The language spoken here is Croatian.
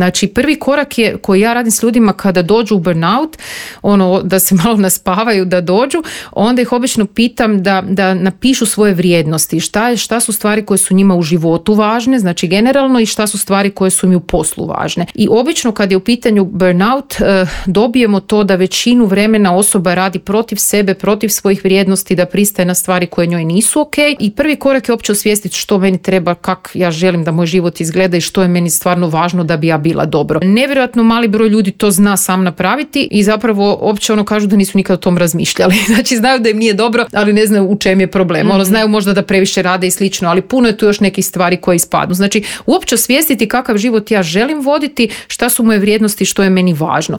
Znači, prvi korak je koji ja radim s ljudima kada dođu u burnout, da se malo naspavaju da dođu, onda ih obično pitam da napišu svoje vrijednosti. Šta su stvari koje su njima u životu važne, znači generalno, i šta su stvari koje su mi u poslu važne. I obično kad je u pitanju burnout dobijemo to da većinu vremena osoba radi protiv sebe, protiv svojih vrijednosti, da pristaje na stvari koje njoj nisu ok. I prvi korak je uopće osvijestiti što meni treba, kako ja želim da moj život izgleda i što je meni stvarno važno da bi ja bila dobro. Nevjerojatno mali broj ljudi to zna sam napraviti i zapravo uopće kažu da nisu nikad o tom razmišljali. Znači znaju da im nije dobro, ali ne znaju u čem je problem. Znaju možda da previše rade i slično, ali puno je tu još nekih stvari koje ispadnu. Znači uopće osvijestiti kakav život ja želim voditi, šta su moje vrijednosti, što je meni važno.